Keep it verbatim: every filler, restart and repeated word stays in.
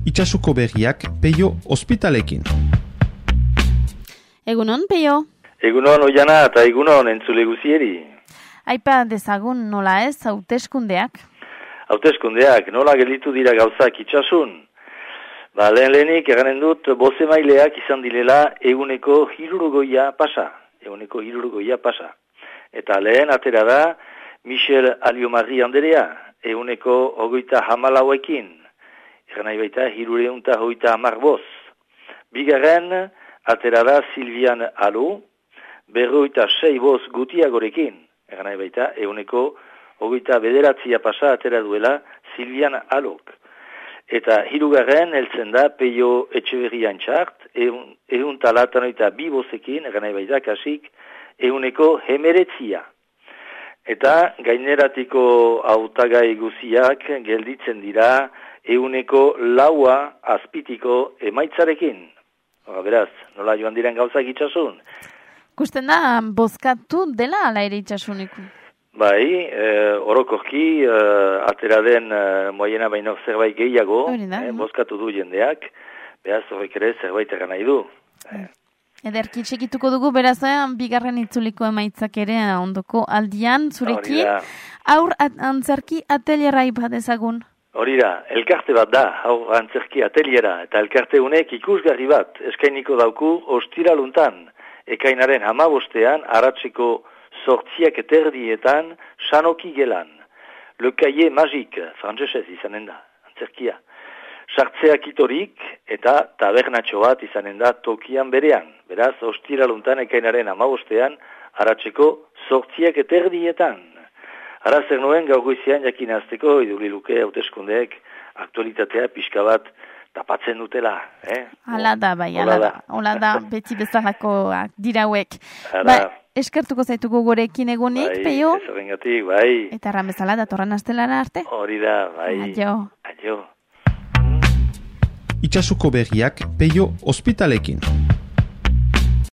Itsasuko berriak Peio ospitalekin. Egunon, Peio? Egunon, Oiana, eta egunon entzule guzieri. Aipa dezagun nola ez, hauteskundeak? Hauteskundeak, nola gelditu dira gauzak itsasun? Ba, lehen lehenik eganen dut, bozemaileak izan dilela eguneko hirurogoia pasa. Eguneko hirurogoia pasa. Eta lehen atera da, Michel Aliomarri anderea, eguneko ogoita hamalauekin. Egan nahi baita, hirureunta hoita hamar boz. Bigarren, atera da Silvian Alo, berroita sei boz gutiagorekin. Egan nahi baita, eguneko ogoita bederatzia pasa atera duela Silvian Alok. Eta hirugarren, heltzen da Peio Etxeberrian txart, egun talatanoita bi bozekin, egan nahi baita, kasik, eguneko hemeretzia. Eta gaineratiko hautagai guziak gelditzen dira eguneko laua azpitiko emaitzarekin. Hora, beraz, nola joan diren gauzak itxasun? Kusten da, bozkatu dela ala ere itxasunik? Bai, e, orokorki e, atera den e, moiena baino zerbait gehiago, e, bozkatu du jendeak, beraz horrek ere zerbait egan nahi du. E. Ederki txekituko dugu, beraz, bigarren itzuliko emaitzak ere ondoko aldian, zurekin, aur antzerki atelierra ipadezagun. Hori da, elkarte bat da, aur antzerki ateliera, eta elkarte honek ikusgarri bat, eskainiko dauku ostiraluntan, ekainaren hamabostean, aratzeko sortziak eterdietan, sanoki gelan. Le Cahier Magique, frantzesez izanen da, antzerkia. Sartzeak itorik eta tabernatxo bat izanen da tokian berean. Beraz, ostiraluntan ekainaren hamabostean, aratzeko sortziak eterdietan. Ara zer nuen gaur goizean jakinazteko iduliluke hauteskundeek aktualitatea pixka bat tapatzen dutela. Eh? Hala da, bai, hala da. Hala da, beti bezalakoak dirauek. Ba, eskertuko zaituko gorekin egunik, bai, Peio? Ez horrengatik, bai. Eta erran bezala, datorren astelara arte? Hori da, bai. Adio. Adio. Itsasuko berriak Peio ospitalekin.